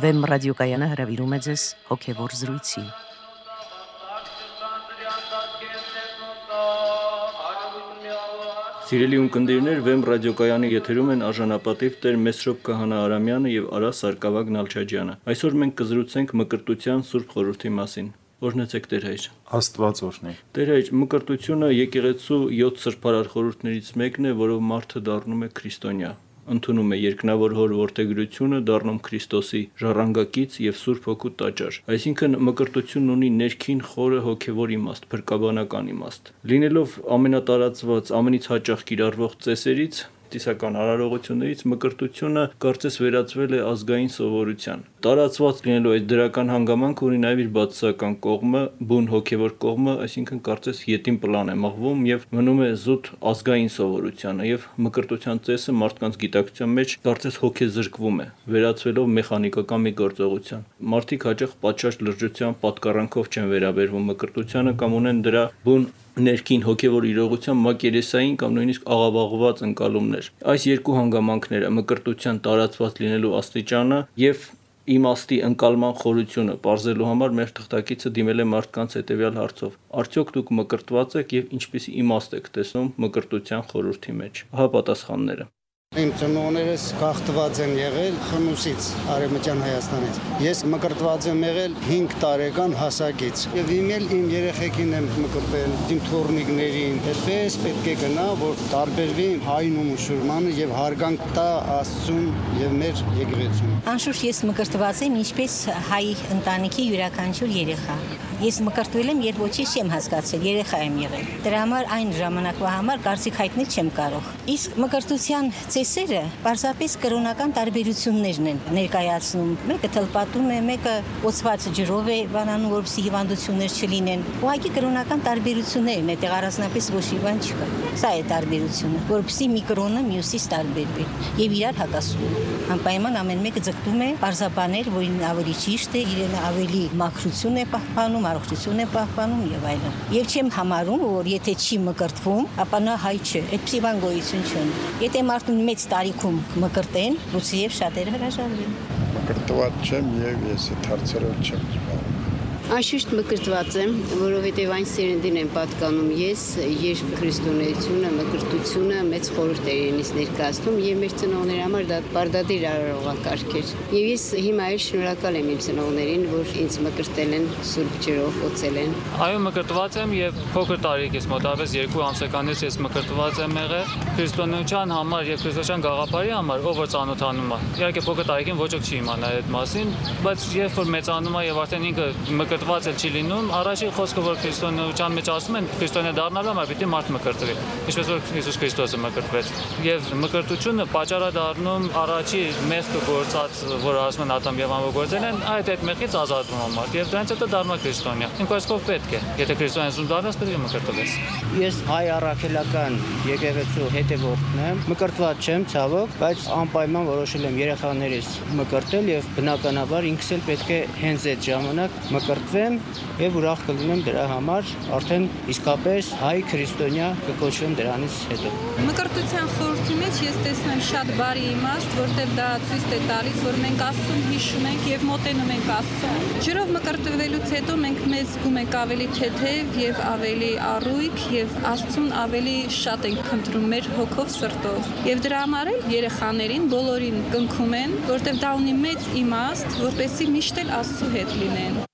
Վեմ ռադիոկայանը հրավիրում է ձեզ հոգևոր զրույցի։ Սիրելի ունկնդիրներ, Վեմ ռադիոկայանի եթերում են արժանապատիվ Տեր Մեսրոպ Քահանա Արամյանը եւ Արա Սարգսակ Նալչաջյանը։ Այսօր մենք կզրուցենք մկրտության Սուրբ Խորհրդի մասին։ Օրհնեցեք Տեր հայր։ Աստված օրհնի։ Տեր հայր, մկրտությունը եկեղեցու 7 սրբարար խորհուրդներից մեկն է, որով մարդը դառնում է քրիստոնյա։ Ընդունում է երկնավոր հոր որդեգրությունը, դառնում Քրիստոսի ժառանգակից եւ Սուրբ Հոգու տաճար։ Այսինքն մկրտությունն ունի ներքին խորը հոգևոր իմաստ, փրկաբանական իմաստ։ Լինելով ամենատարածված, ամենից հաճախ կիրառվող ծեսերից, տիսական արարողություններից մկրտությունը կարծես վերածվել է ազգային սովորության։ Տարածված լինելու այդ դրական հանգամանքը ունի նաև իր բացասական կողմը, բուն հոգևոր կողմը, այսինքն կարծես ետին պլան է մղվում եւ մնում է զուտ ազգային սովորությանը եւ մկրտության ծեսը մարդկանց գիտակցության մեջ կարծես հոգեզրկվում է, վերածվելով մեխանիկական մի գործողության։ Մարդիկ հաճախ պատշաճ լրջության պատկառանքով չեն վերաբերվում մկրտությանը կամ ունեն դրա բուն ներքին հոգևոր իրողության մակերեսային կամ նույնիսկ աղավաղված ընկալումներ։ Այս երկու հանգամանքները մկրտության տարածված լինելու աստիճանը եւ իմաստի ընկալման խորությունը բարձելու համար մեր թղթակիցը դիմել է մարդկանց հետեւյալ հարցով. Արդյոք դուք մկրտված եք եւ ինչպիսի իմաստ եք տեսնում մկրտության խորհրդի մեջ։ Ահա պատասխանները։ Իմ ծնողներս գաղթված են եղել Խնուսից, Արևմտյան Հայաստանից։ Ես մկրտված եմ եղել 5 տարեկան հասակից։ Եվ իմ երեխեքին եմ մկրտել, իմ թոռնիկներին։ Այդպես պետք է գնա, որ տարբերվի հայն ու մուսուլմանը եւ հարգանք տա Աստծուն եւ մեր եկեղեցուն։ Անշուշտ ես մկրտված եմ ինչպես հայ ընտանիքի յուրաքանչյուր երեխա։ Ես մկրտվել եմ, երբ ոչինչ չեմ հասկացել, երեխա եմ եղել։ Դրա համար այն ժամանակվա համար կարծիք հայտնել չեմ կարող։ Իսկ մկրտության ծեսերը պարզապես կրոնական տարբերություններն են ներկայացնում։ Մեկը թլպատում է, մեկը օծված ջրով է բանանում, որպեսզի հիվանդություններ չլինեն։ Ուղղակի կրոնական տարբերություններն է, դեռ առանձնապես ոչ հիվանդ չկա։ Սա է տարբերությունը, որպեսզի մի կրոնը մյուսից տարբերվի եւ իրար հակասում։ Անպայման ամեն մեկը ձգտում է պարզաբանել, որ ինքն ավելի ճիշտ է, իրեն ավելի մաքրություն է պահպանում, առողջություն է պահպանում եւ այլն։ Եվ չեմ համարում, որ եթե չի մկրտվում, ապա նա հայ չէ։ Այդպիսի բան գոյություն չունի։ Եթե մարդուն մեծ տարիքում մկրտեն, լույսիև շատերը հրաժարվեն։ Մկրտված չեմ եւ ես այդ հարցերով չեմ զբաղվում։ Անշուշտ մկրտված եմ, որովհետև այն սերնդին եմ պատկանում ես, երբ քրիստոնեությունը, մկրտությունը մեծ խորհուրդ էր ինձ ներկայացնում եւ մեր ծնողների համար դա պարտադիր արարողակարգ էր։ Եվ ես հիմա էլ շնորհակալ եմ իմ ծնողներին, որ ինձ մկրտել են սուրբ ջրով, օծել են։ Այո, մկրտված եմ եւ փոքր տարիքից մոտավորապես 2 ամսականից ես մկրտված եմ եղել քրիստոնեության համար եւ քրիստոսյան գաղափարի համար, ով որ ծանոթանում է։ Իհարկե փոքր տարիքին ոչ ոք չի իմանա այդ մասին, բայց երբ որ մեծանում է եւ արդեն ինքը մկրտված էլ չի լինում, առաջին խոսքը որ քրիստոնեության մեջ ասում են, քրիստոնյա դառնալու համար պիտի մարդ մկրտվի, ինչպես որ Հիսուս Քրիստոսը մկրտվեց։ Եվ մկրտությունը պատճառ է դառնում առաջի մեղքը գործած, որ ասում են Ադամ եւ Հավա գործել են, այդ մեղքից ազատվում է մարդ եւ դրանից հետո դառնում է քրիստոնյա։ Իմ կողմով պետք է, եթե քրիստոնեություն դառնաս, պետք է մկրտվես։ Ես հայ առաքելական եկեղեցու հետևորդն եմ, մկրտված չեմ ցավոք, բայց անպայման որոշել եմ երեխաներիս մկրտել եւ բնականաբար ինքս էլ պետք է հենց այդ ժամանակ մկրտվեմ եւ ուրախ կլինեմ դրա համար, արդեն իսկապես հայ քրիստոնյա կկոչվեմ դրանից հետո։ Մկրտության խորհրդի մեջ ես տեսնում շատ բարի իմաստ, որտեղ դա ցույց է տալիս, որ մենք Աստծուն հիշում ենք եւ մոտենում ենք Աստծուն։ Ջրով մկրտվելուց հետո մենք մեզ զգում ենք ավելի թեթև եւ ավելի առույգ եւ Աստծուն ավելի շատ ենք փնտրում մեր հոգով, սրտով։ Եվ դրա համար էլ երեխաներին բոլորին կնքում են, որտեղ դա ունի մեծ իմաստ, որպեսզի միշտ էլ Աստծու հետ լինեն։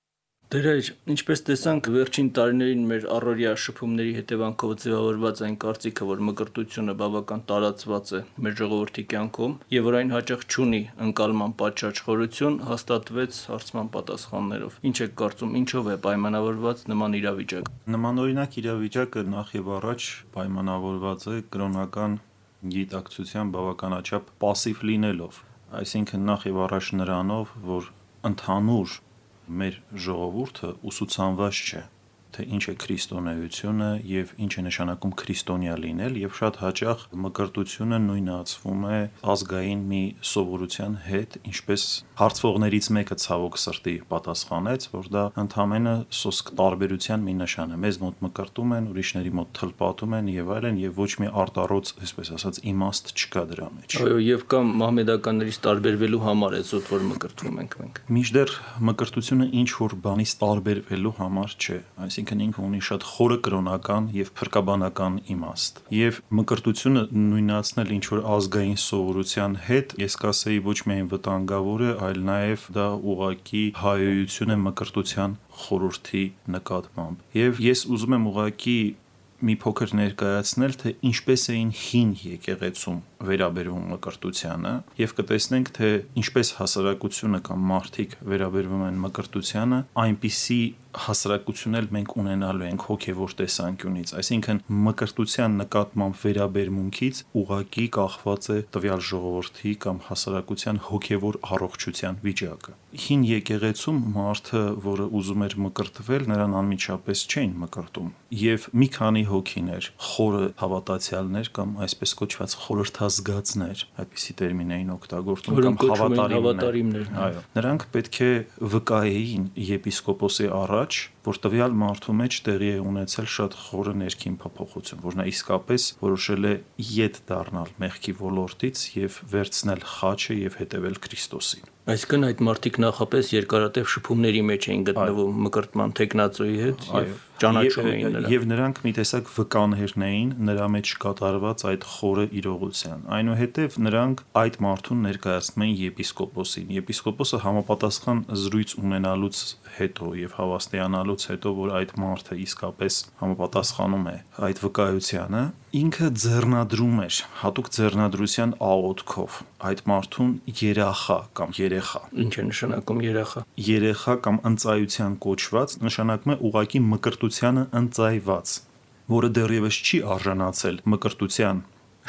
Տեր հայր, ինչպես տեսանք վերջին տարիներին մեր առօրյա շփումների հետևանքով ձևավորված այն կարծիքը, որ մկրտությունը բավական տարածված է մեր ժողովրդի կյանքում եւ որ այն հաճախ չունի ընկալման պատշաճ խորություն, հաստատվեց հարցման պատասխաններով։ Ինչ եք կարծում, ինչով է պայմանավորված նման իրավիճակը։ Նմանօրինակ իրավիճակը նախ եւ առաջ պայմանավորված է կրոնական գիտակցության բավականաչափ պասիվ լինելով, այսինքն նախ եւ առաջ նրանով, որ ընդհանուր մեր ժողովուրդը ուսուցանված չէ, թե ինչ է քրիստոնեությունը եւ ինչ է նշանակում քրիստոնյա լինել, եւ շատ հաճախ մկրտությունը նույնացվում է ազգային մի սովորության հետ, ինչպես հարցվողներից մեկը ցավոք սրտի պատասխանեց, որ դա ընդհանրապես սոսկ տարբերության մի նշան է։ Մեզ մոտ մկրտում են, ուրիշների մոտ թլպատում են եւ այլն, եւ ոչ մի արտառոց, այսպես ասած, իմաստ չկա դրա մեջ։ Այո, եւ կամ մահմեդականներից տարբերվելու համար է զուտ, որ մկրտվում ենք մենք։ Մինչդեռ մկրտությունը ինչ որ բանից տարբերվելու համար չէ, այսինքն ինքը ունի շատ խորը կրոնական եւ փրկաբանական իմաստ։ Եվ մկրտությունը նույնացնել ինչ որ ազգային սովորության հետ, ես կասեի ոչ միայն վտանգավոր է, այլ նաեւ դա ուղղակի հայոյություն է մկրտության խորհրդի նկատմամբ։ Եվ ես ուզում եմ ուղղակի մի փոքր ներկայացնել, թե ինչպես էին հին եկեղեցում վերաբերվում մկրտությանը, եւ կտեսնենք, թե ինչպես հասարակությունը կամ մարդիկ վերաբերվում են մկրտությանը, այնպիսի հասարակություն էլ մենք ունենալու ենք հոգեվոր տեսանկյունից, այսինքն մկրտության նկատմամբ վերաբերմունքից ուղղակի կախված է տվյալ ժողովրդի կամ հասարակության հոգեվոր առողջության վիճակը։ Հին եկեղեցում մարդը, որը ուզում էր մկրտվել, նրան անմիջապես չէին մկրտում, եւ մի քանի հոգիներ, խորը հավատացյալներ կամ այսպես կոչված խորհրդազգացներ, այդպիսի տերմին էին օգտագործում, կամ հավատարիմներ, այո, նրանք պետք է վկայեին եպիսկոպոսի առաջ, որ տվյալ մարդու մեջ տեղի է ունեցել շատ խորը ներքին փոփոխություն, որ նա իսկապես որոշել է ետ դառնալ մեղքի ոլորտից եւ վերցնել խաչը եւ հետեւել Քրիստոսին։ Այսինքն այդ մարդիկ նախապես երկարատև շփումների մեջ էին գտնվում մկրտման տեխնացուի հետ եւ ճանաչում էին նրան։ Եվ նրանք մի տեսակ վկաներն էին նրա մեջ կատարված այդ խորը իրողության։ Այնուհետև նրանք այդ մարդուն ներկայացնում էին եպիսկոպոսին։ Եպիսկոպոսը համապատասխան զրույց ունենալուց հետո եւ հավաստիանալուց հետո, որ այդ մարդը իսկապես համապատասխանում է այդ վկայությանը, ինքը ձեռնադրում էր հատուկ ձեռնադրության աղոթքով այդ մարդուն երախա կամ երեխա։ Ինչ է նշանակում երախա։ Երեխա կամ ընծայության կոչված նշանակում է ուղղակի մկրտությանը ընծայված, որը դեռևս չի արժանացել մկրտության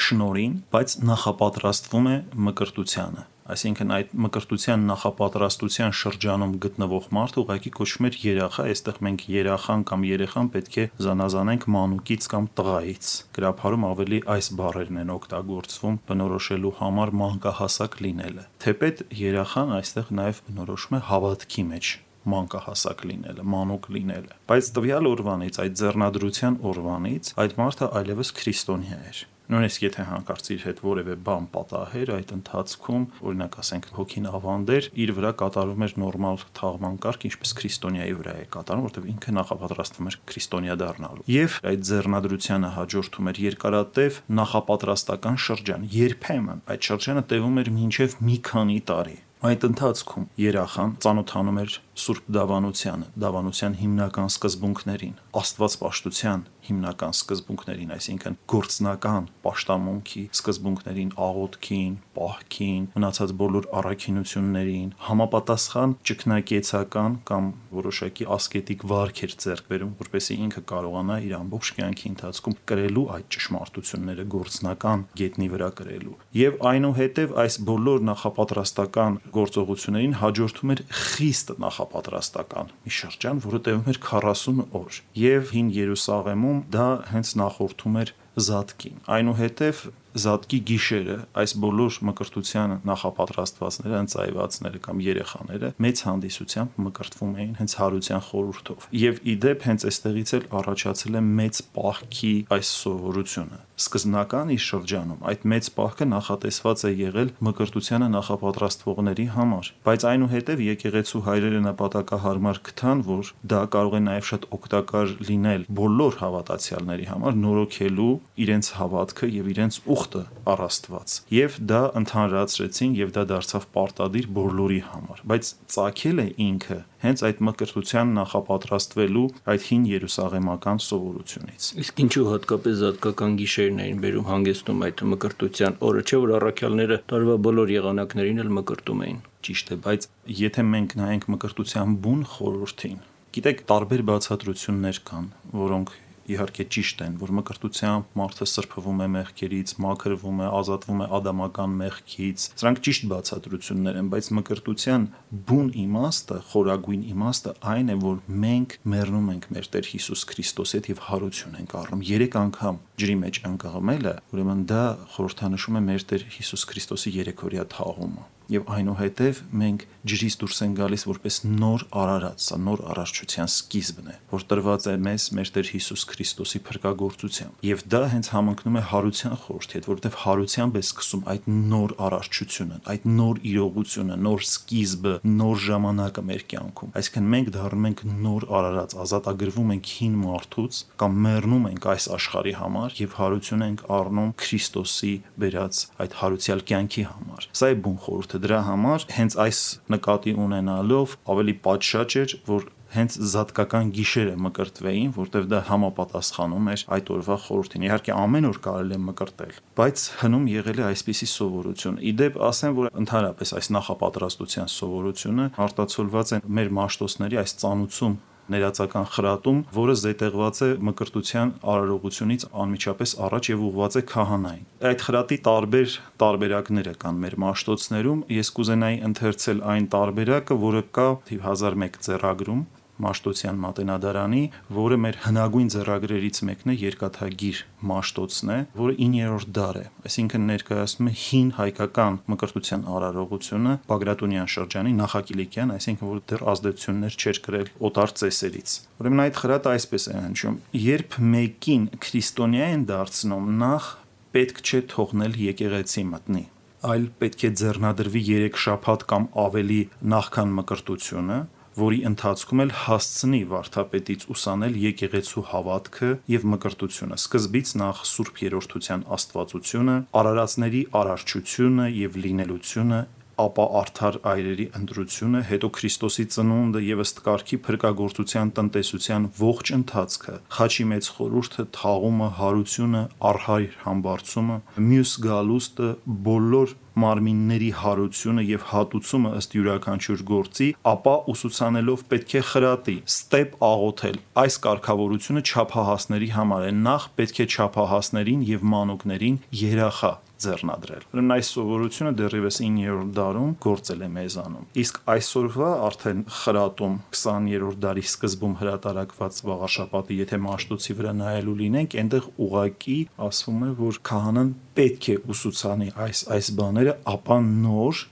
շնորհին, բայց նախապատրաստվում է մկրտությանը։ Այսինքն այդ մկրտության նախապատրաստության շրջանում գտնվող մարդը ուղղակի կոչվում էր երախա, այստեղ մենք երախան կամ երեխան պետք է զանազանենք մանուկից կամ տղայից։ Գրաբարում ավելի այս բառերն են օգտագործվում բնորոշելու համար մանկահասակ լինելը։ Թեպետ երախան այստեղ նաև բնորոշում է հավատքի մեջ մանկահասակ լինելը, մանուկ լինելը։ Բայց տվյալ օրվանից, այդ ձեռնադրության օրվանից այդ մարդը այլևս քրիստոնյա էր։ Նույնիսկ եթե հանկարծ իր հետ որևէ բան պատահեր այդ ընթացքում, օրինակ ասենք հոգին ավանդեր, իր վրա կատարում էր նորմալ թաղման կարգ, ինչպես քրիստոնյայի վրա է կատարում, որտեղ ինքը նախապատրաստվում էր քրիստոնյա դառնալու։ Եվ այդ ձեռնադրությանը հաջորդում էր երկարատև նախապատրաստական շրջան։ Երբեմն այդ շրջանը տևում էր մինչև մի քանի տարի։ Այդ ընթացքում երախան ծանոթանում էր Սուրբ Դավանությանը, Դավանության հիմնական սկզբունքներին, Աստվածպաշտության հիմնական սկզբունքներին, այսինքն գործնական պաշտամունքի սկզբունքներին, աղոթքին, պահքին, մնացած բոլոր առաքինություններին, համապատասխան ճգնակեցական կամ որոշակի ասկետիկ վարքեր ձեռք բերում, որպեսզի ինքը կարողանա իր ամբողջ կյանքի ընթացքում կրելու այդ ճշմարտությունները գործնական գետնի վրա կրելու։ Եվ այնուհետև այս բոլոր նախապատրաստական գործողություններին հաջորդում էր խիստ նախապատրաստական մի շրջան, որը տևում էր 40 օր։ Եվ Հին Երուսաղեմում դա հենց նախորդում էր զատկին։ Այնուհետև զատկի գիշերը այս բոլոր մկրտության նախապատրաստվածները, ընծայվածները կամ երեխաները մեծ հանդիսությամբ մկրտվում էին հենց հարության խորհրդով։ Եվ իդեպ հենց այստեղից էլ առաջացել է մեծ պահքի այս սովորությունը։ Սկզբնական իր շրջանում այդ մեծ պահքը նախատեսված է եղել մկրտությանը նախապատրաստվողների համար, բայց այնուհետև եկեղեցու հայրերը նպատակահարմար գտան, որ դա կարող է նաև շատ օգտակար լինել բոլոր հավատացյալների համար, նորոգելու իրենց հավատքը եւ իրենց ուխտը առ Աստված։ Եվ դա ընդհանրացրեցին եւ դա դարձավ պարտադիր բոլորի համար, բայց ծագել է ինքը հենց այդ մկրտության նախապատրաստվելու այդ հին երուսաղեմական սովորությունից։ Իսկ ինչու հատկապես զատկական գիշերն էին բերում հանգեցնում այդ մկրտության օրը, չէ՞ որ առաքյալները տարվա բոլոր եղանակներին էլ մկրտում էին։ Ճիշտ է, բայց եթե մենք նայենք մկրտության բուն խորհրդին, գիտեք, տարբեր բացատրություններ կան, որոնք իհարկե ճիշտ են, որ մկրտությամբ մարդը սրբվում է մեղքերից, մաքրվում է, ազատվում է ադամական մեղքից։ Սրանք ճիշտ բացատրություններ են, բայց մկրտության բուն իմաստը, խորագույն իմաստը այն է, որ մենք մեռնում ենք մեր Տեր Հիսուս Քրիստոսի հետ եւ հարություն ենք առնում։ 3 անգամ ջրի մեջ ընկղմելը, ուրեմն դա խորհրդանշում է մեր Տեր Հիսուս Քրիստոսի երեքօրյա թաղումը։ Եվ այնուհետև մենք ջրից դուրս են գալիս որպես նոր արարած, սա նոր արարչության սկիզբն է, որ տրված է մեզ մեր Տեր Հիսուս Քրիստոսի փրկagorցությամբ։ Եվ դա հենց համընկնում է հարության խորհրդի հետ, որովհետև հարությամբ է սկսում այդ նոր արարչությունը, այդ նոր իրողությունը, նոր սկիզբը, նոր ժամանակը մեր կյանքում։ Այսինքն մենք դառնում ենք նոր արարած, ազատագրվում ենք հին մարդուց կամ մեռնում ենք այս աշխարհի համար եւ հարություն ենք առնում Քրիստոսի բերած այդ հարուցյալ կյանքի համար։ Սա է բուն խորհուրդը։ Դրա համար հենց այս նկատի ունենալով ավելի պատշաճ էր, որ հենց զատկական գիշերը մկրտվեին, որտեղ դա համապատասխանում էր այդ օրվա խորհրդին։ Իհարկե ամեն օր կարելի է մկրտել, բայց հնում եղել է այսպիսի սովորություն։ Իդեպ ասեմ, որ ընդհանրապես այս նախապատրաստության սովորությունը արտացոլված է մեր մաշտոցների այս ծանուցում ներածական խրատում, որը զետեղված է մկրտության արարողությունից անմիջապես առաջ եւ ուղղված է քահանային։ Այդ խրատի տարբեր տարբերակներ կան մեր մաշտոցներում։ Ես կուզենայի ընթերցել այն տարբերակը, որը կա 1001 ձեռագրում Մաշտոցյան մատենադարանի, որը մեր հնագույն ձեռագրերից մեկն է, երկաթագիր Մաշտոցն է, որը 9-րդ դար է, այսինքն ներկայացնում է հին հայկական մկրտության արարողությունը Բագրատունյան շրջանի նախակիլիկյան, այսինքն որ դեռ ազդեցություններ չէր կրել օտար ծեսերից։ Ուրեմն այդ խրատը այսպես է հնչում. երբ մեկին քրիստոնյա են դարձնում, նախ պետք չէ թողնել եկեղեցի մտնի, այլ պետք է ձեռնադրվի 3 շաբաթ կամ ավելի նախքան մկրտությունը, որի ընթացքում էլ հասցնի վարդապետից ուսանել եկեղեցու հավատքը եւ մկրտությունը, սկզբից նախ Սուրբ Երրորդության աստվածությունը, արարածների արարչությունը եւ լինելությունը, ապա արդար այրերի ընտրությունը, հետո Քրիստոսի ծնունդը եւ ըստ կարգի փրկagorցության տնտեսության ողջ ընթացքը, խաչի մեծ խորհուրդը, թաղումը, հարությունը, առհայր համբարձումը, մյուս գալուստը, բոլոր մարմինների հարությունը եւ հատուցումը ըստ յուրաքանչյուր գործի, ապա ուսուցանելով պետք է խրատի, ստեպ աղոթել։ Այս կարգավորությունը չափահասների համար է, նախ պետք է չափահասներին եւ մանուկներին երախա ձեռնադրել։ Ուրեմն այս սովորությունը դեռևս 9-րդ դարում գործել է մեզանում։ Իսկ այսօրվա արդեն խրատում 20-րդ դարի սկզբում հրատարակված Վաղաշաբաթի, եթե Մաշտոցի վրա նայելու լինենք, այնտեղ ուղղակի ասվում է, որ քահանան պետք է ուսուցանի այս բաները, ապա նոր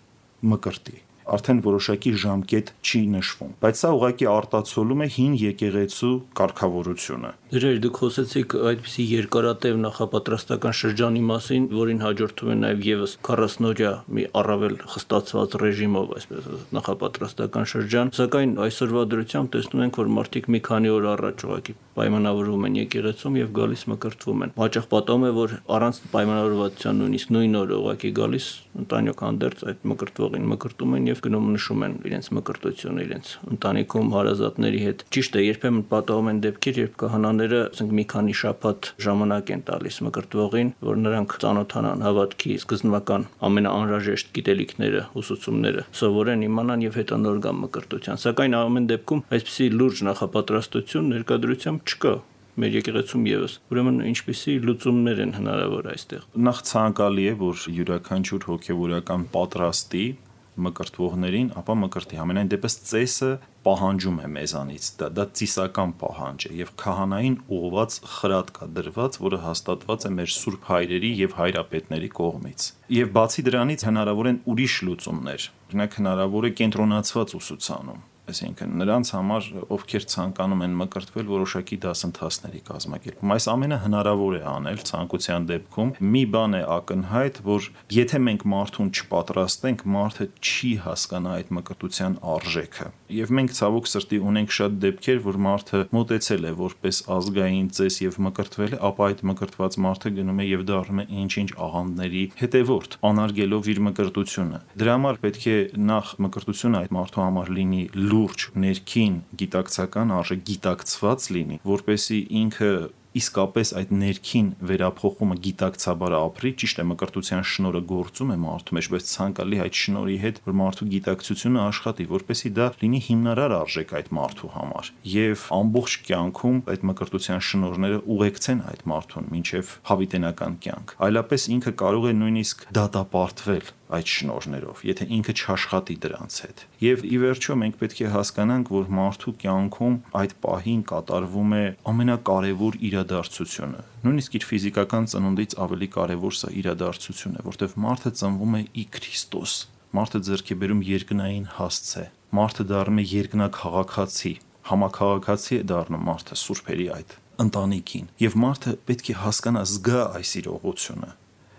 մկրտի։ Արդեն որոշակի ժամկետ չի նշվում, բայց սա ուղղակի արտացոլում է հին եկեղեցու կարգավորությունը։ Դրեր դուք խոսեցիք այդպիսի երկարատև նախապատրաստական շրջանի մասին, որին հաջորդում է նաև եւս 40-օրյա մի առավել խստացված ռեժիմով, այսպես ասած, նախապատրաստական շրջան, սակայն այսօրվա դրությամբ տեսնում ենք, որ մարդիկ մի քանի օր առաջ ուղղակի պայմանավորվում են եկեղեցում եւ գալիս մկրտվում են։ Հաճախ պատահում է, որ առանց պայմանավորվածության նույնիսկ նույն օրը ուղղակի գալիս ընտանիք հանդերձ այդ մկրտվողին մկրտում են եւ գնում նշում են իրենց մկրտությունը իրենց ընտանիքում հարազատների հետ։ Ճիշտ է, երբեմն պատահում են դեպքեր, երբ քահանաները, ասենք, մի քանի շաբաթ ժամանակ են տալիս մկրտվողին, որ նրանք ծանոթանան հավատքի սկզբնական ամենաանհրաժեշտ գիտելիքները, ուսուցումները սովորեն, իմանան եւ հետո նոր գան մկրտության։ Սակայն ամեն դեպքում այսպիսի լուրջ նախապատրաստություն ներկայությամբ չկա մեր եկեղեցում եւս։ Ուրեմն ինչպիսի լուծումներ են հնարավոր այստեղ։ Նախ ցանկալի է, որ յուրաքանչյուր հոգեվորական պատրաստի մկրտվողներին, ապա մկրտի։ Համենայն դեպս ծեսը պահանջում է մեզանից, դա ծիսական պահանջ է եւ քահանային ուղված խրատ կա դրված, որը հաստատված է մեր սուրբ հայրերի եւ հայրապետների կողմից։ Եվ բացի դրանից հնարավոր են ուրիշ լուծումներ։ Օրինակ հնարավոր է կենտրոնացված ուսուցանում, այսինքն նրանց համար, ովքեր ցանկանում են մկրտվել, որոշակի դասընթացների կազմակերպում։ Այս ամենը հնարավոր է անել ցանկության դեպքում։ Մի բան է ակնհայտ, որ եթե մենք մարդուն չպատրաստենք, մարդը չի հասկանա այդ մկրտության արժեքը։ Եվ մենք ցավոք սրտի ունենք շատ դեպքեր, որ մարդը մոտեցել է որպես ազգային ծես եւ մկրտվել է, ապա այդ մկրտված մարդը գնում է եւ դառնում է ինչ-ինչ աղանդների հետևորդ, անարգելով իր մկրտությունը։ Դրա համար պետք է նախ մկրտությունը այդ մարդու համար լինի լուրջ, ներքին, գիտակցական, արժե գիտակցված լինի, որպեսզի ինքը իսկապես այդ ներքին վերափոխումը գիտակցաբար ապրի, ճիշտ է, մկրտության շնորհը գործում է մարդու մեջ, բայց ցանկալի այդ շնորհի հետ, որ մարդու գիտակցությունը աշխատի, որպեսզի դա լինի հիմնարար արժեք այդ մարդու համար, եւ ամբողջ կյանքում այդ մկրտության շնորհները ուղեկցեն այդ մարդուն մինչև հավիտենական կյանք։ Այլապես ինքը կարող է նույնիսկ դատապարտվել այդ շնորհներով, եթե ինքը չաշխատի դրանց հետ։ Եվ ի վերջո մենք պետք է հասկանանք, որ մարդու կյանքում այդ պահին կատարվում է ամենակարևոր իրադարձությունը։ Նույնիսկ իր ֆիզիկական ծնունդից ավելի կարևոր սա իրադարձություն է, որտեղ մարդը ծնվում է ի Քրիստոս։ Մարդը ձեռք է բերում երկնային հասցե։ Մարդը դառնում է երկնաքաղաքացի, համաքաղաքացի է դառնում մարդը սուրբերի այդ ընտանիքին։ Եվ մարդը պետք է հասկանա, զգա այս իրողությունը։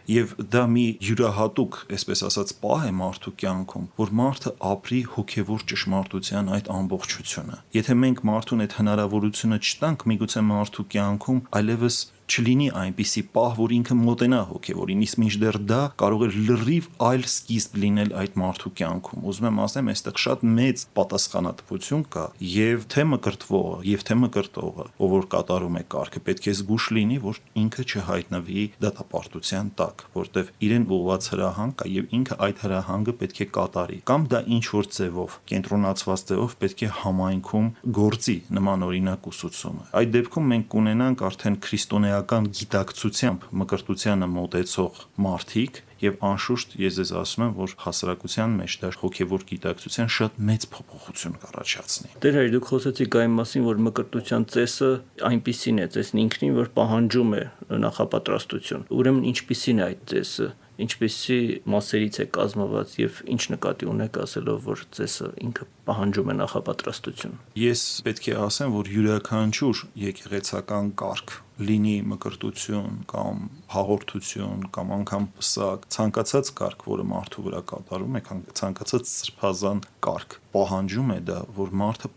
Եվ դա մի յուրահատուկ, այսպես ասած, պահ է մարդու կյանքում, որ մարդը ապրի հոգևոր ճշմարտության այդ ամբողջությունը։ Եթե մենք մարդուն այդ հնարավորությունը չտանք, միգուցե մարդու կյանքում այլևս չլինի այնպիսի պահ, որ ինքը մոտենա հոգևորին, իսկ մինչդեռ դա կարող է լրիվ այլ սկիզբ լինել այդ մարդու կյանքում։ Ուզում եմ ասեմ, այստեղ շատ մեծ պատասխանատվություն կա, եւ թե մկրտվողը, եւ թե մկրտողը, ով որ կատարում է կարգը, պետք է զգուշ լինի, որ ինքը չհայտնվի դատապարտության տակ, որտեվ իրեն ուղղված հրահանգ կա եւ ինքը այդ հրահանգը պետք է կատարի, կամ դա ինչ որ ձևով, կենտրոնացված ձևով պետք է համայնքում գործի նման օրինակ ուսուցումը։ Այդ դեպքում մենք կունենանք արդեն քրիստոնեական գիտակցությամբ մկրտությանը մոտեցող մարդիկ, եւ անշուշտ ես ձեզ ասում եմ, որ հասարակության մեջ դա հոգեվոր գիտակցության շատ մեծ փոփոխություն կառաջացնի։ Տեր հայր, դուք խոսեցիք այն մասին, որ մկրտության ծեսը այնպիսին է, ծեսն ինքնին, որ պահանջում է նախապատրաստություն։ Ուրեմն ինչպիսին է այդ ծեսը, ինչպիսի մասերից է կազմված եւ ինչ նկատի ունեք ասելով, որ ծեսը ինքը պահանջում է նախապատրաստություն։ Ես պետք է ասեմ, որ յուրաքանչյուր եկեղեցական կարգ, լինի մկրտություն կամ հաղորդություն կամ անգամ պսակ, ցանկացած կարգ, որը մարդու վրա կատարում է, ցանկացած սրբազան կարգ, պահանջում է դա, որ մարդը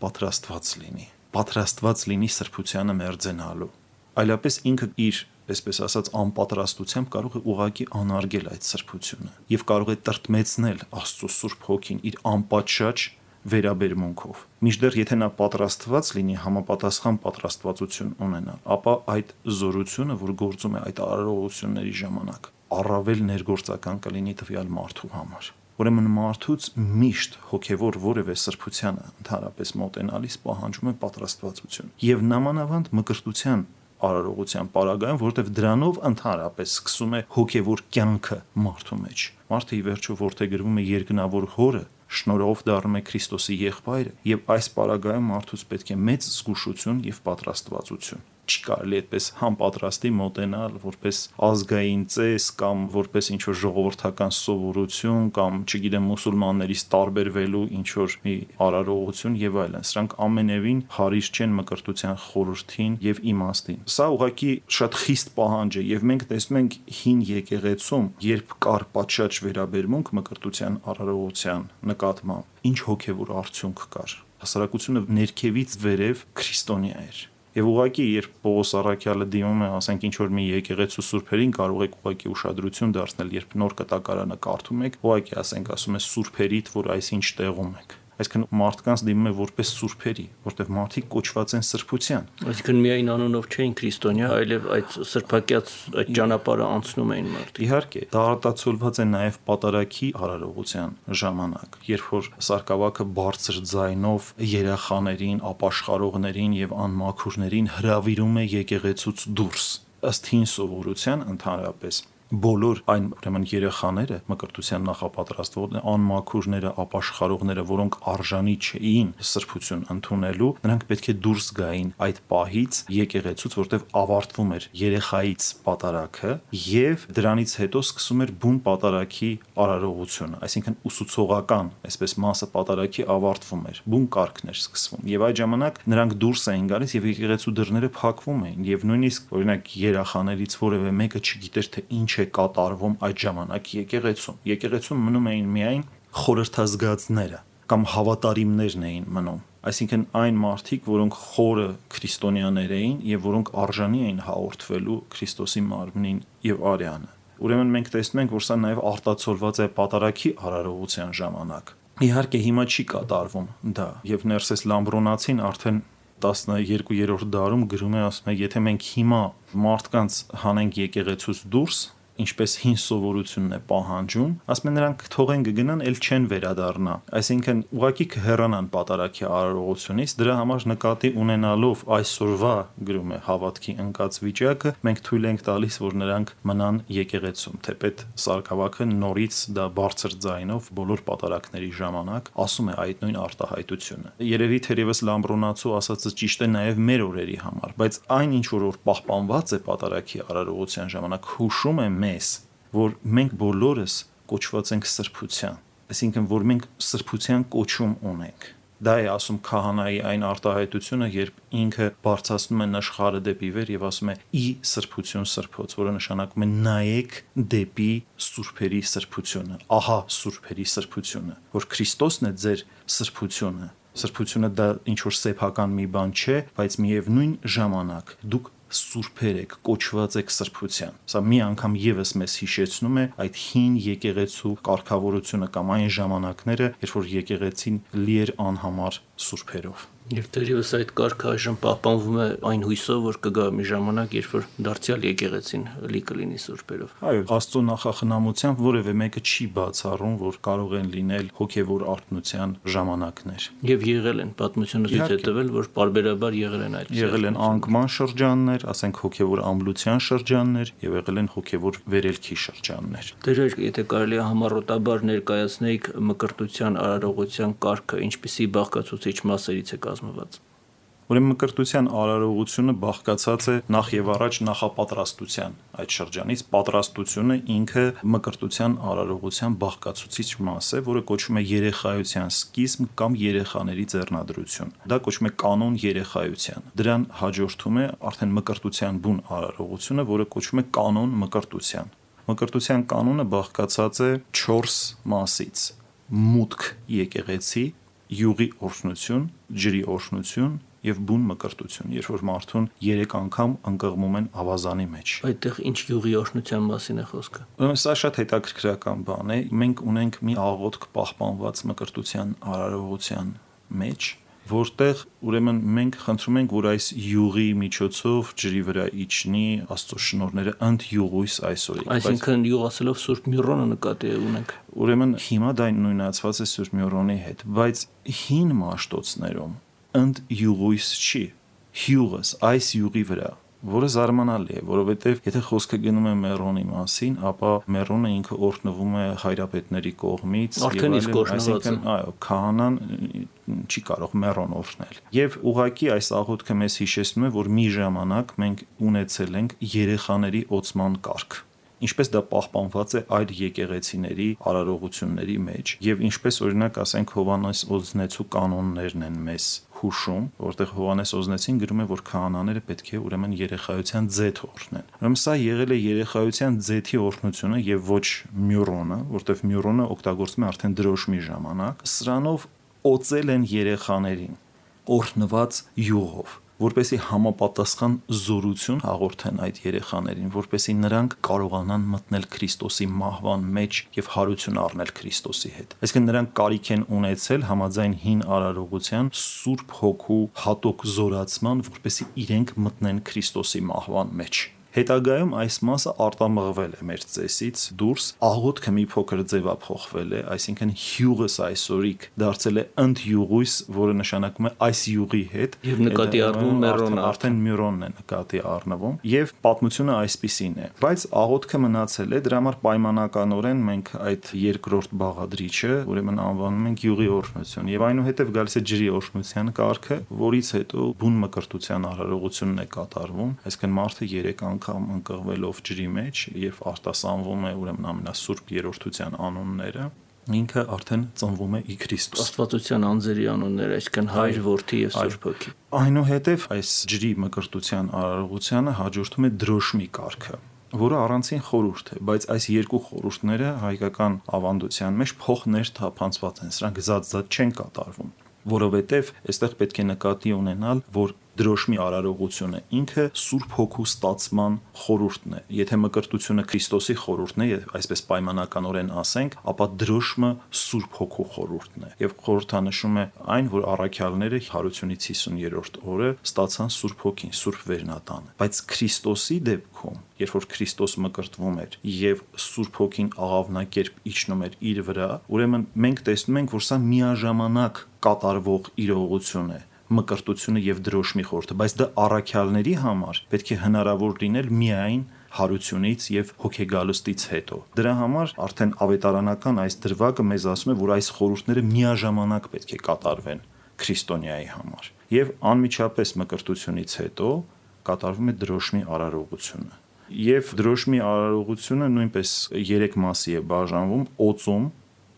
պատրաստված լինի սրբությանը մերձենալու։ Այլապես ինքը իր, այսպես ասած, անպատրաստությամբ կարող է ուղղակի անարգել այդ սրբությունը եւ կարող է տրտմեցնել Աստծո Սուրբ Հոգին իր անպատշաճ վերաբերմունքով։ Մինչդեռ եթե նա պատրաստված լինի, համապատասխան պատրաստվածություն ունենա, ապա այդ զորությունը, որ գործում է այդ արարողությունների ժամանակ, առավել ներգործական կլինի տվյալ մարդու համար։ Ուրեմն մարդուց միշտ հոգևոր որևէ սրբությանը ընդհանրապես մոտենալիս պահանջում է պատրաստվածություն եւ նամանավանդ մկրտության արարողության պարագայում, որտեղ դրանով ընդհանրապես սկսում է հոգևոր կյանքը մարդու մեջ։ Մարդը ի վերջո որդեգրվում է երկնավոր Հորը, շնորհով դառնում է Քրիստոսի եղբայրը, եւ այս պարագայում մարդուց պետք է մեծ զգուշություն եւ պատրաստվածություն։ Չի կարելի այդպես համապատրաստի մոտենալ որպես ազգային ծես կամ որպես ինչ-որ ժողովրդական սովորություն կամ, չգիտեմ, մուսուլմաններից տարբերվելու ինչ-որ մի արարողություն եւ այլն։ Սրանք ամենևին հարիր չեն մկրտության խորհրդին եւ իմաստին։ Սա ուղղակի շատ խիստ պահանջ է եւ մենք տեսնում ենք հին եկեղեցում, երբ կար պատշաճ վերաբերմունք մկրտության արարողության նկատմամբ, ինչ հոգեվոր արդյունք կար։ Հասարակությունը ներքևից վերև քրիստոնյա էր։ Եվ ուղղակի երբ Պողոս առաքյալը դիմում է, ասենք ինչ-որ մի եկեղեցու սուրբերին, կարող եք ուղղակի ուշադրություն դարձնել, երբ նոր կտակարանը կարդում եք, ուղղակի ասենք ասում է սուրբերիդ, որ այսինչ տեղում եք։ Այսինքն մարդկանց դիմում է որպես սուրբերի, որտեղ մարդիկ կոչված են սրբության։ Այսինքն միայն անունով չէին քրիստոնյա, այլև այդ սրբակյաց այդ ճանապարհը անցնում էին մարդիկ։ Իհարկե, դա արտացոլված է նաև պատարագի արարողության ժամանակ, երբ որ սարկավակը բարձր ձայնով երախաներին, ապաշխարողներին եւ անմաքուրներին հրավիրում է եկեղեցուց դուրս։ Ըստ հին սովորության ընդհանրապես բոլոր այն ուրեմն երեխաները, մկրտության նախապատրաստվողները, անմաքուրները, ապաշխարողները, որոնք արժանի չէին սրբություն ընդունելու, նրանք պետք է դուրս գային այդ պահից եկեղեցուց, որտեղ ավարտվում էր երեխայից պատարագը եւ դրանից հետո սկսում էր բուն պատարագի արարողությունը, այսինքն ուսուցողական, այսպես մասը պատարագի ավարտվում էր, բուն կարգն էր սկսվում եւ այդ ժամանակ նրանք դուրս էին գալիս եւ եկեղեցու դռները փակվում էին եւ նույնիսկ օրինակ երեխաներից որևէ մեկը չգիտեր թե ինչ է կատարվում այդ ժամանակ եկեղեցում։ Եկեղեցում մնում էին միայն խորհրդազգացները կամ հավատարիմներն էին մնում։ Այսինքն այն մարդիկ, որոնք խորը քրիստոնյաներ էին եւ որոնք արժանի էին հաղորդվելու Քրիստոսի մարմնին եւ արյանը։ Ուրեմն մենք տեսնում ենք, որ սա նաեւ արտացոլված է պատարագի արարողության ժամանակ։ Իհարկե հիմա չի կատարվում դա եւ Ներսես Լամբրոնացին արդեն 12-րդ դարում գրում է, ասում է, եթե մենք հիմա մարդկանց հանենք եկեղեցուց դուրս, ինչպես հին սովորությունն է պահանջում, ասում են նրանք թողեն կգնան, ել չեն վերադառնա։ Այսինքն ուղղակի կհեռանան պատարագի արարողությունից, դրա համար նկատի ունենալով այսօրվա գրում է հավատքի ընկած վիճակը, մենք թույլ ենք տալիս, որ նրանք մնան եկեղեցում, թեպետ Սարգսակը նորից դա բարձր ձայնով բոլոր պատարագների ժամանակ ասում է այդ նույն արտահայտությունը։ Երևի թերևս Լամբրոնացու ասածը ճիշտ է նաև մեր օրերի համար, բայց այն ինչ որ պահպանված է պատարագի արարողության ժամանակ հուշում է որ մենք բոլորս կոչված ենք սրբության, այսինքն որ մենք սրբության կոչում ունենք։ Դա է ասում քահանայի այն արտահայտությունը, երբ ինքը բարձրացնում է նշխարը դեպի վեր եւ ասում է՝ «Ի սրբություն սրբոց», որը նշանակում է նայեք դեպի սուրբերի սրբությունը, ահա սուրբերի սրբությունը, որ Քրիստոսն է ձեր սրբությունը։ Սրբությունը դա ինչ որ սեփական մի բան չէ, բայց միևնույն ժամանակ դուք սուրբեր եք, կոչված եք սրբության։ Սա մի անգամ եւս մեզ հիշեցնում է այդ հին եկեղեցու կարգավորությունը կամ այն ժամանակները, երբ որ եկեղեցին լի էր անհամար սուրբերով։ Եվ դերևս այդ կարգը այժմ պահպանվում է այն հույսով, որ կգա մի ժամանակ, երբ որ դարձյալ եկեղեցին լի կլինի սուրբերով։ Այո, Աստծո նախախնամությամբ որևէ մեկը չի բացառում, որ կարող են լինել հոգևոր արթնության ժամանակներ։ Եվ եղել են, պատմությունը ցույց է տվել, որ պարբերաբար եղել են այդ։ Եղել են անկման շրջաններ, ասենք հոգևոր ամբլության շրջաններ, եւ եղել են հոգևոր վերելքի շրջաններ։ Դերեր, եթե կարելի է համառոտաբար ներկայացնեիք մկրտության արարողության կարգը, ինչպիսի բաղկացուցիչ մասերից է կազմված։ Ուրեմն մկրտության արարողությունը բաղկացած է նախ եւ առաջ նախապատրաստության այդ շրջանից, պատրաստությունը ինքը մկրտության արարողության բաղկացուցիչ մաս է, որը կոչվում է երեխայության սկիզբ կամ երեխաների ձեռնադրություն։ Դա կոչվում է կանոն երեխայության։ Դրան հաջորդում է արդեն մկրտության բուն արարողությունը, որը կոչվում է կանոն մկրտության։ Մկրտության կանոնը բաղկացած է 4 մասից՝ մուտք եկեղեցի, յուղի օրհնություն, ջրի օրհնություն եւ բուն մկրտություն, երբ որ մարդուն 3 անգամ ընկղմում են ավազանի մեջ։ Այդտեղ ինչ յուղի օրհնության մասին է խոսքը։ Ուրեմն սա շատ հետաքրքրական բան է։ Մենք ունենք մի աղոթք պահպանված մկրտության արարողության մեջ, որտեղ ուրեմն մենք խնդրում ենք, որ այս յուղի միջոցով ջրի վրա իջնի Աստծո շնորհները ընդյուղույս այսօրի։ Այսինքն յուղ ասելով Սուրբ Միրոնը նկատի ունենք։ Ուրեմն հիմա դա նույնացված է Սուրբ Միրոնի հետ, բայց հին Մաշտոցներում ընդյուղույս չի, հյուղս այս յուղի վրա, որը զարմանալի է, որովհետև եթե խոսքը գնում է Մերոնի մասին, ապա Մերոնը ինքը օրհնվում է հայրապետների կողմից, արդեն իսկ օրհնված է։ Այո, քահանան չի կարող Մերոն օրհնել։ Եվ ուղղակի այս աղոթքը մեզ հիշեցնում է, որ մի ժամանակ մենք ունեցել ենք երեխաների օծման կարգ։ Ինչպես դա պահպանված է այլ եկեղեցիների արարողությունների մեջ, եւ ինչպես օրինակ ասենք Հովանես Օզնեցու կանոններն են մեզ հուշում, որտեղ Հովանես Օզնեցին գրում է, որ քահանաները պետք է ուրեմն երեխայության ձեթ օրհնեն։ Ուրեմն սա եղել է երեխայության ձեթի օրհնությունը եւ ոչ մյուրոնը, որտեղ մյուրոնը օգտագործվում է արդեն դրոշմի ժամանակ։ Սրանով օծել են երեխաներին օրհնված յուղով, որպեսի համապատասխան զորություն հաղորդեն այդ երեխաներին, որպեսի նրանք կարողանան մտնել Քրիստոսի մահվան մեջ եւ հարություն առնել Քրիստոսի հետ։ Այսինքն նրանք կարիք են ունեցել համաձայն հին արարողության Սուրբ Հոգու հատուկ զորացման, որպեսի իրենք մտնեն Քրիստոսի մահվան մեջ։ Հետագայում այս մասը արտամղվել է մեր ծեսից դուրս, աղոթքը մի փոքր ձևափոխվել է, այսինքն հյուղս այսօրիկ դարձել է ընդյուղույս, որը նշանակում է այս յուղի հետ, եւ նկատի առնում Մերոնը, արդեն Մյուրոնն է նկատի առնվում, եւ պատմությունը այսպիսին է։ Բայց աղոթքը մնացել է, դրա համար պայմանականորեն մենք այդ երկրորդ բաղադրիչը ուրեմն անվանում ենք յուղի օրհնություն, եւ այնուհետեւ գալիս է ջրի օրհնության կարգը, որից հետո բուն մկրտության արարողությունն է կատարվում, այսինքն մարդը 3 անգամ ընկղվելով ջրի մեջ եւ արտասանվում է ուրեմն ամենասուրբ երրորդության անունները, ինքը արդեն ծնվում է ի Քրիստոս։ Աստվածության անձերի անունները, այսինքն Հայր, Որդի եւ Սուրբ Հոգի։ Այնուհետև այս ջրի մկրտության արարողությանը հաջորդում է դրոշմի կարգը, որը առանցին խորհուրդ է, բայց այս երկու խորհուրդները հայկական ավանդության մեջ փոխներթափանցված են, սրանք զատ չեն կատարվում։ որովհետև այստեղ պետք է նկատի ունենալ, որ դրոշմի արարողությունը ինքը Սուրբ Հոգու ստացման խորհուրդն է։ Եթե մկրտությունը Քրիստոսի խորհուրդն է, այսպես պայմանականորեն ասենք, ապա դրոշմը Սուրբ Հոգու խորհուրդն է։ Եվ խորհրդանշում է այն, որ առաքյալները հարությունից 50-րդ օրը ստացան Սուրբ Հոգին, Սուրբ Վերնատանը։ Բայց Քրիստոսի դեպքում, երբ որ Քրիստոս մկրտվում էր եւ Սուրբ Հոգին աղավնակերպ իջնում էր իր վրա, ուրեմն մենք տեսնում ենք, որ սա միաժամանակ կատարվող իրողություն է, մկրտությունը եւ դրոշմի խորհուրդը, բայց դա առաքյալների համար պետք է հնարավոր լինել միայն հարությունից եւ հոգեգալստից հետո։ Դրա համար արդեն ավետարանական այս դրվագը մեզ ասում է, որ այս խորհուրդները միաժամանակ պետք է կատարվեն քրիստոնյայի համար։ Եվ անմիջապես մկրտությունից հետո կատարվում է դրոշմի արարողությունը։ Եվ դրոշմի արարողությունը նույնպես 3 մասի է բաժանվում՝ օծում,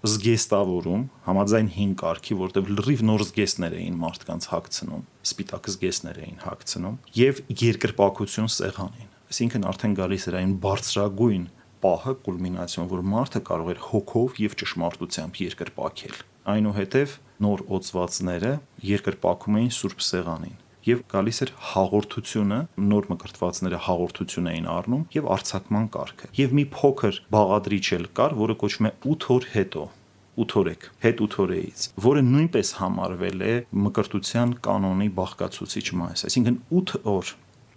զգեստավորում, համաձայն 5 կարգի, որտեղ լրիվ նոր զգեստներ էին մարդկանց հագցնում, սպիտակ զգեստներ էին հագցնում, եւ երկրպագություն սեղանին։ Այսինքն արդեն գալիս էր այն բարձրագույն պահը, կուլմինացիոն, որ մարդը կարող էր հոգով եւ ճշմարտությամբ երկրպագել։ Այնուհետև նոր օծվածները երկրպագում էին Սուրբ Սեղանին։ Եվ գալիս էր հաղորդությունը, նոր մկրտվածները հաղորդություն էին առնում եւ արձակման կարգը։ Եվ մի փոքր բաղադրիչ էլ կար, որը կոչվում է 8 օր հետո, 8 օրեք, հետ 8 օրեից, որը նույնպես համարվել է մկրտության կանոնի բաղկացուցիչ մաս։ Այսինքն 8 օր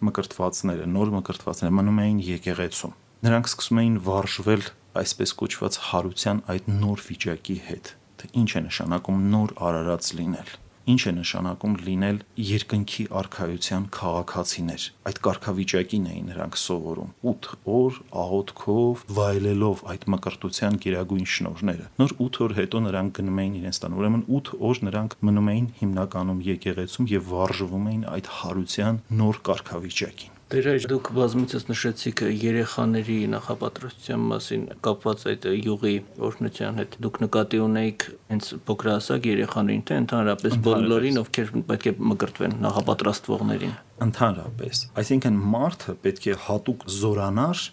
մկրտվածները, նոր մկրտվածները մնում էին եկեղեցում։ Նրանք սկսում էին վարժվել այսպես կոչված հարության այդ նոր վիճակի հետ։ Թե ինչ է նշանակում նոր արարած լինել։ Ինչ է նշանակում լինել երկնքի արքայության քաղաքացիներ։ Այդ կարգավիճակին էին նրանք սովորում 8 օր աղոթքով, վայելելով այդ մկրտության գերագույն շնորհները։ Նոր 8 օր հետո նրանք գնում էին իրենց տան։ Ուրեմն 8 օր նրանք մնում էին հիմնականում եկեղեցում եւ վարժվում էին այդ հարության նոր կարգավիճակին։ Դեր դուք բազմիցս նշեցիք երեխաների նախապատրաստության մասին կապված այդ յուղի օրհնության հետ։ Դուք նկատի ունեիք հենց փոքրահասակ երեխաներին, թե ընդհանրապես բոլորին, ովքեր պետք է մկրտվեն նախապատրաստվողներին։ Ընդհանրապես, այսինքն մարդը պետք է հատուկ զորանար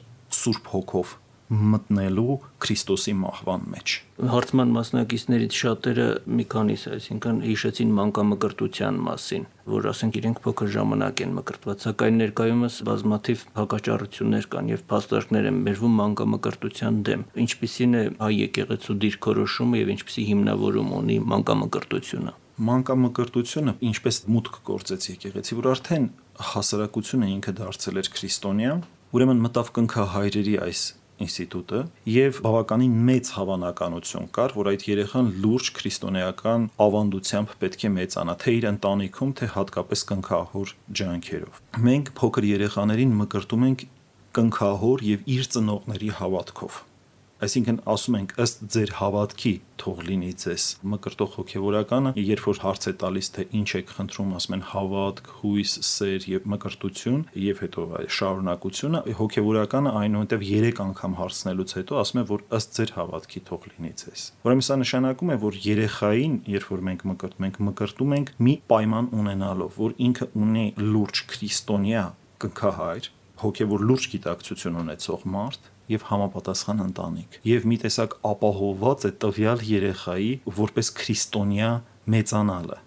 Սուրբ Հոգով մտնելու Քրիստոսի մահվան մեջ։ Հարցման մասնակիցներից շատերը մի քանիս, այսինքն հիշեցին մանկամկրտության մասին, որ ասենք իրենք փոքր ժամանակ են մկրտված, սակայն ներկայումս բազմաթիվ հակաճառություններ կան եւ փաստարկներ են բերվում մանկամկրտության դեմ։ Ինչպիսին է հայ եկեղեցու դիրքորոշումը եւ ինչպիսի հիմնավորում ունի մանկամկրտությունը։ Մանկամկրտությունը ինչպես մուտք գործեց եկեղեցի, որ արդեն հասարակությունը ինքը դարձել էր քրիստոնյա, ուրեմն մտավ կնքահայրերի այս ինստիտուտը եւ բավականին մեծ հավանականություն կար, որ այդ երեխան լուրջ քրիստոնեական ավանդությամբ պետք է մեծանա, թե իր ընտանիքում, թե հատկապես կնքահոր ջանքերով։ Մենք փոքր երեխաներին մկրտում ենք կնքահոր եւ իր ծնողների հավատքով։ Այսինքն ասում ենք ըստ ձեր հավատքի թող լինի ձեզ։ Մկրտող հոգևորականը, երբ որ հարց է տալիս, թե ինչ եք խնդրում, ասում են հավատք, հույս, սեր եւ մկրտություն, եւ հետո շարունակությունը, հոգևորականը այնուհետև 3 անգամ հարցնելուց հետո ասում է, որ ըստ ձեր հավատքի թող լինի ձեզ։ Ուրեմն սա նշանակում է, որ երեխային, երբ որ մենք մկրտում ենք մի պայման ունենալով, որ ինքը ունի լուրջ քրիստոնյա կնքահայր, հոգևոր լուրջ գիտակցություն ունեցող մարդ եւ համապատասխան ընտանիք եւ մի տեսակ ապահովված է տվյալ երեխայի որպես քրիստոնյա մեծանալը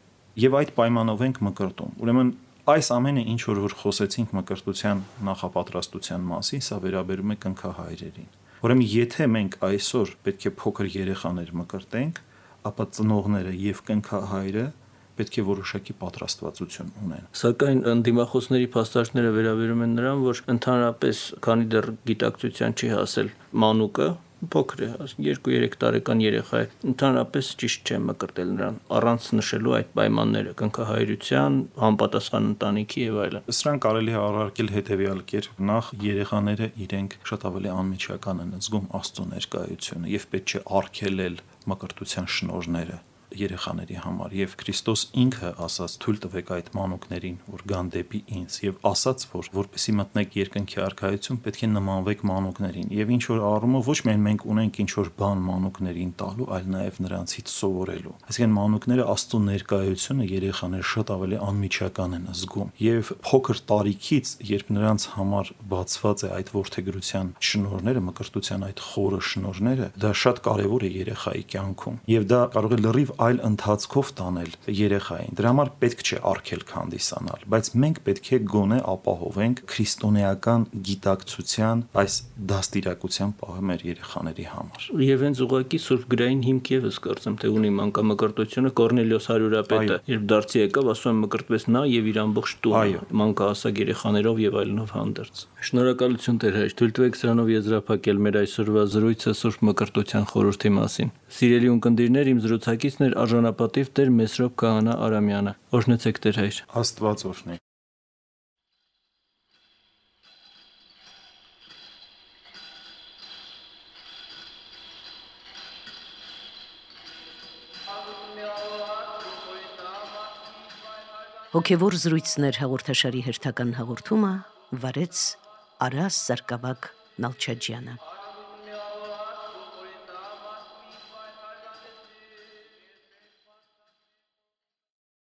եւ այդ պայմանով ենք մկրտում։ Ուրեմն այս ամենը ինչ որ խոսեցինք մկրտության նախապատրաստության մասին, սա վերաբերում է կնքահայրերին։ Ուրեմն եթե մենք այսօր պետք է փոքր երեխաներ մկրտենք, ապա ծնողները եւ կնքահայրը պետք է որոշակի պատրաստվածություն ունեն։ Սակայն ընդդիմախոսների փաստարկները վերաբերում են նրան, որ ընդհանրապես քանի դեռ գիտակցության չի հասել մանուկը, փոքր է, 2-3 տարեկան երեխա է, ընդհանրապես ճիշտ չէ մկրտել նրան, առանց նշելու այդ պայմանները, կնքահայրության, համապատասխան ընտանիքի եւ այլն։ Սրանք կարելի է առարկել հետեւյալ կերպ. նախ երեխաները իրենք շատ ավելի անմիջական են զգում Աստծո ներկայությունը եւ պետք չէ արգելել մկրտության շնորհները երեխաների համար եւ Քրիստոս ինքը ասաց թույլ տվեք այդ մանուկներին որ գան դեպի ինձ եւ ասաց որ որպեսի մտնեք երկնքի արքայություն պետք է նմանվեք մանուկներին եւ ինչ որ առումով ոչ միայն մենք ունենք ինչ որ բան մանուկներին տալու այլ նաեւ նրանցից սովորելու այսինքն մանուկները Աստծո ներկայությունը երեխաները շատ ավելի անմիջական են զգում եւ փոքր տարիքից երբ նրանց համար բացված է այդ որդեգրության շնորհները մկրտության այդ խորը շնորհները դա շատ կարեւոր է երեխայի կյանքում եւ դա կարող է լրիվ այլ ընթացքով տանել երեխային։ Դրա համար պետք չէ արգելք հանդիսանալ, բայց մենք պետք է գոնե ապահովենք քրիստոնեական գիտակցության այս դաստիարակության պահը մեր երեխաների համար։ Եվ հենց ուղղակի Սուրբ գրային հիմք եւս կարծեմ թե ունի մանկամկրտությունը Կորնելիոս հարյուրապետը, երբ դարձի եկավ, ասում եմ մկրտվեց նա եւ իր ամբողջ տունը, մանկահասակ երեխաներով եւ այլնով հանդերձ։ Շնորհակալություն Տեր հայր, թույլ տվեք սրանով եզրափակել մեր այսօրվա զրույցը Սուրբ Մկրտության խորհրդի մասին։ Սիրելի ունկնդիրներ, իմ զրուցակիցն էր արժանապատիվ Տեր Մեսրոպ Քահանա Արամյանը։ Օրհնեցեք Տեր հայր։ Աստված օրհնի։ Հոգևոր զրույցներ հաղորդաշարի հերթական հաղորդումը վարեց Արաս Սարգսակ Նալչաջյանը։